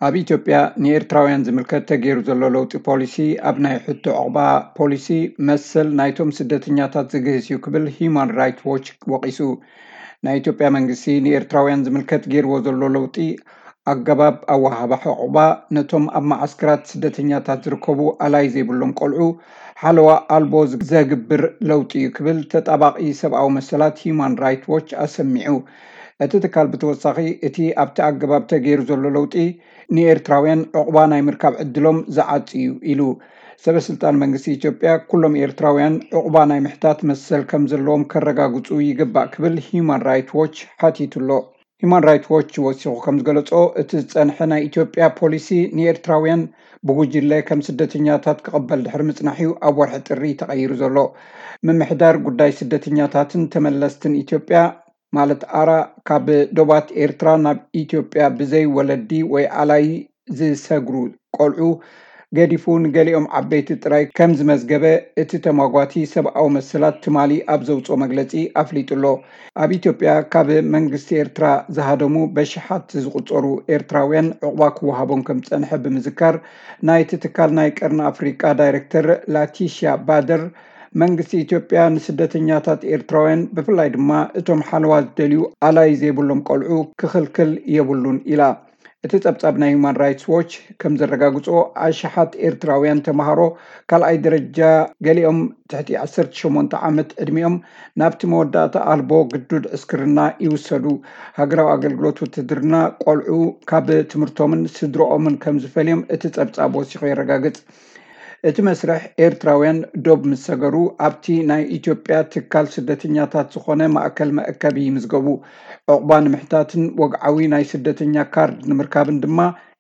ኣብ ኢትዮጵያ ንኤርትራውያን ዝምልከት ተገይሩ ዘሎ ለውጢ ፖሊሲ ኣብ ናይ ሕቶ ዕቕባ ፖሊሲ መሰል ናይቶም ስደተኛታት ዝግህስ እዩ ክብል ሂዩማን ራይትስ ዎች ወቒሱ። ናይ ኢትዮጵያ መንግስቲ ንኤርትራውያን ዝምልከት ገይርዎ ዘሎ ለውጢ ኣገባብ ኣወሃህባ ዕቑባ ነቶም ኣብ መዓስከራት ስደተኛታት ዝርከቡ ኣላይ ዘይብሎም ቆልዑ ሓለዋ ኣልቦ ዘግብር ለውጢ እዩ ክብል ተጣባቒ ሰብኣዊ መሰላት ሂዩማን ራይትስ ዎች ኣሰሚዑ። እቲ ትካል ብተወሳኺ እቲ ኣብቲ ኣገባብ ተገይሩ ዘሎ ለውጢ ንኤርትራውያን ዕቑባ ናይ ምርካብ ዕድሎም ዝዓጽ እዩ ኢሉ። ሰበ ስልጣን መንግስቲ ኢትዮጵያ ኩሎም ኤርትራውያን ዕቑባ ናይ ምሕታት መሰል ከም ዘለዎም ከረጋግጹ ይግባእ ክብል ሂዩማን ራይትስ ዎች ሓቲቱ ኣሎ። ሂዩማን ራይትስ ዎች ወሲኹ ከም ዝገለጾ እቲ ዝጸንሐ ናይ ኢትዮጵያ ፖሊሲ ንኤርትራውያን ብጉጅለ ከም ስደተኛታት ክቕበል ድሕሪ ምጽናሕ እዩ ኣብ ወርሒ ጥሪ ተቐይሩ ዘሎ። ምምሕዳር ጉዳይ ስደተኛታትን ተመለስትን ኢትዮጵያ ማለት ኣራ ካብ ዶባት ኤርትራ ናብ ኢትዮጵያ ብዘይ ወለዲ ወይ ኣላይ ዝሰግሩ ቆልዑ ገዲፉ ንገሊኦም ዓበይቲ ጥራይ ከም ዝመዝገበ እቲ ተማጓቲ ሰብኣዊ መሰላት ትማሊ ኣብ ዘውፅኦ መግለፂ ኣፍሊጡ ኣሎ። ኣብ ኢትዮጵያ ካብ መንግስቲ ኤርትራ ዝሃደሙ በሽሓት ዝቁፀሩ ኤርትራውያን ዕቑባ ክወሃቦም ከም ዝፀንሐ ብምዝካር ናይቲ ትካል ናይ ቀርኒ ኣፍሪቃ ዳይሬክተር ላቲሽያ ባደር መንግስቲ ኢትዮጵያ ንስደተኛታት ኤርትራውያን ብፍላይ ድማ እቶም ሓለዋ ዝደልዩ ኣላይ ዘይብሎም ቆልዑ ክኽልክል የብሉን ኢላ። እቲ ጸብጻብ ናይ ሁማን ራይትስ ዎች ከም ዘረጋግጾ ኣሽሓት ኤርትራውያን ተምሃሮ ካልኣይ ደረጃ ገሊኦም ትሕቲ ዓሰርተ ሸሞንተ ዓመት ዕድሚኦም ናብቲ መወዳእታ ኣልቦ ግዱድ ዕስክርና ይውሰዱ። ሃገራዊ ኣገልግሎት ውትድርና ቆልዑ ካብ ትምህርቶምን ስድረኦምን ከም ዝፈልዮም እቲ ጸብጻብ ወሲኹ የረጋግጽ። እቲ መስርሕ ኤርትራውያን ዶብ ምስ ሰገሩ ኣብቲ ናይ ኢትዮጵያ ትካል ስደተኛታት ዝኾነ ማእከል መእከቢ ይምዝገቡ። ዕቑባ ንምሕታትን ወግዓዊ ናይ ስደተኛ ካርድ ንምርካብን ድማ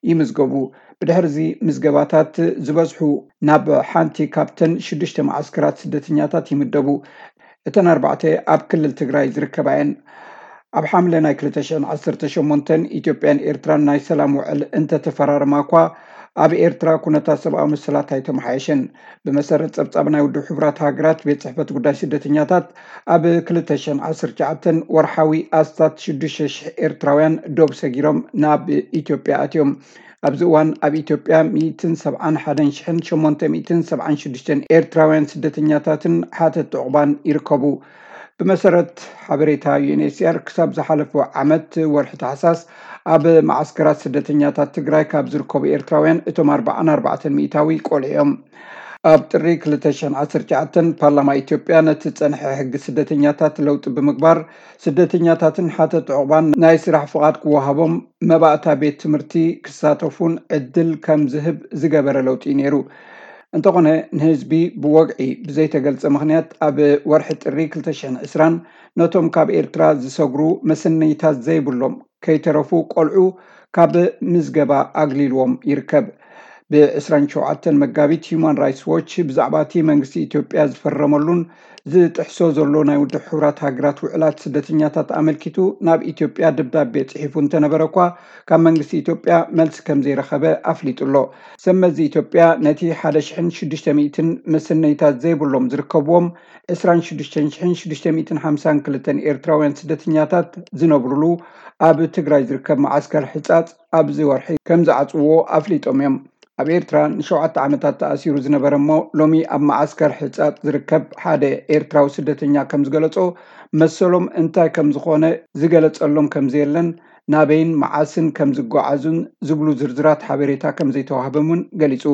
ይምዝገቡ። ብድሕርዚ ምዝገባታት ዝበዝሑ ናብ ሓንቲ ካብተን ሽዱሽተ መዓስከራት ስደተኛታት ይምደቡ። እተን ኣርባዕተ ኣብ ክልል ትግራይ ዝርከባ እየን። ኣብ ሓምለ ናይ ክልተ ሽሕን ዓሰርተ ሸሞንተን ኢትዮጵያን ኤርትራን ናይ ሰላም ውዕል እንተተፈራረማ እኳ ኣብ ኤርትራ ኩነታት ሰብኣዊ መሰላት ኣይተመሓየሸን። ብመሰረት ጸብጻብ ናይ ውድብ ሕቡራት ሃገራት ቤት ጽሕፈት ጉዳይ ስደተኛታት ኣብ ክልተ ሽሕን ዓሰርተ ትሽዓተን ወርሓዊ ኣስታት ሽዱሽተ ሽሕ ኤርትራውያን ዶብ ሰጊሮም ናብ ኢትዮጵያ ኣትዮም። ኣብዚ እዋን ኣብ ኢትዮጵያ ሚእትን ሰብዓን ሓደን ሽሕን ሸሞንተ ሚእትን ሰብዓን ሽዱሽተን ኤርትራውያን ስደተኛታትን ሓተት ዕቑባን ይርከቡ። ብመሰረት ሓበሬታ ዩ ኤን ኤች ሲ ኣር ክሳብ ዝሓለፈ ዓመት ወርሒ ታሕሳስ ኣብ መዓስከራት ስደተኛታት ትግራይ ካብ ዝርከቡ ኤርትራውያን እቶም ኣርባዓን ኣርባዕተን ሚእታዊ ቆልዑ እዮም። ኣብ ጥሪ ክልተ ሽሕን ዓሰርተ ትሽዓተን ፓርላማ ኢትዮጵያ ነቲ ዝጸንሐ ሕጊ ስደተኛታት ለውጢ ብምግባር ስደተኛታትን ሓተት ዕቑባን ናይ ስራሕ ፍቓድ ክወሃቦም መባእታ ቤት ትምህርቲ ክሳተፉን ዕድል ከም ዝህብ ዝገበረ ለውጢ እዩ ነይሩ። እንተኾነ ንህዝቢ ብወግዒ ብዘይተገልጸ ምኽንያት ኣብ ወርሒ ጥሪ ክልተ ሽሕን ዕስራን ነቶም ካብ ኤርትራ ዝሰግሩ መሰነይታት ዘይብሎም ከይተረፉ ቆልዑ ካብ ምዝገባ ኣግሊልዎም ይርከብ። ብ ዕስራን ሸውዓተን መጋቢት ሂዩማን ራይትስ ዎች ብዛዕባ እቲ መንግስቲ ኢትዮጵያ ዝፈረመሉን ዝጥሕሶ ዘሎ ናይ ውድብ ሕቡራት ሃገራት ውዕላት ስደተኛታት ኣመልኪቱ ናብ ኢትዮጵያ ደብዳቤ ጽሒፉ እንተነበረ እኳ ካብ መንግስቲ ኢትዮጵያ መልሲ ከም ዘይረኸበ ኣፍሊጡ ኣሎ። ሰብ መዚ ኢትዮጵያ ነቲ ሓደ ሽሕን ሽዱሽተ ሚእትን መሰነይታት ዘይብሎም ዝርከብዎም ዕስራን ሽዱሽተ ሽሕን ሽዱሽተ ሚእትን ሓምሳን ክልተን ኤርትራውያን ስደተኛታት ዝነብሩሉ ኣብ ትግራይ ዝርከብ መዓስከር ሕጻጽ ኣብዚ ወርሒ ከም ዝዓጽውዎ ኣፍሊጦም እዮም። ኣብ ኤርትራ ንሸውዓተ ዓመታት ተኣሲሩ ዝነበረ እሞ ሎሚ ኣብ መዓስከር ሕጻጽ ዝርከብ ሓደ ኤርትራዊ ስደተኛ ከም ዝገለጾ መሰሎም እንታይ ከም ዝኾነ ዝገለጸሎም ከም ዘየለን ናበይን መዓስን ከም ዝጓዓዙን ዝብሉ ዝርዝራት ሓበሬታ ከም ዘይተዋህበም እውን ገሊጹ።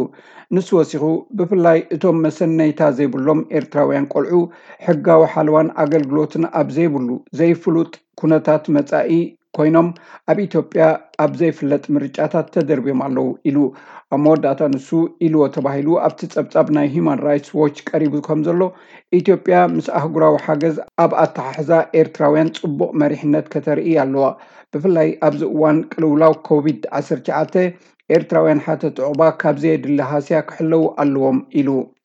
ንሱ ወሲኹ ብፍላይ እቶም መሰነይታ ዘይብሎም ኤርትራውያን ቆልዑ ሕጋዊ ሓለዋን ኣገልግሎትን ኣብ ዘይብሉ ዘይፍሉጥ ኩነታት መጻኢ ኮይኖም ኣብ ኢትዮጵያ ኣብ ዘይፍለጥ ምርጫታት ተደርብዮም ኣለዉ ኢሉ። ኣብ መወዳእታ ንሱ ኢልዎ ተባሂሉ ኣብቲ ጸብጻብ ናይ ሂዩማን ራይትስ ዎች ቀሪቡ ከም ዘሎ ኢትዮጵያ ምስ ኣህጉራዊ ሓገዝ ኣብ ኣተሓሕዛ ኤርትራውያን ጽቡቕ መሪሕነት ከተርኢ ኣለዋ። ብፍላይ ኣብዚ እዋን ቅልውላው ኮቪድ ዓሰርተ ትሽዓተ ኤርትራውያን ሓተት ዕቑባ ካብ ዘየድሊ ሃስያ ክሕለዉ ኣለዎም ኢሉ።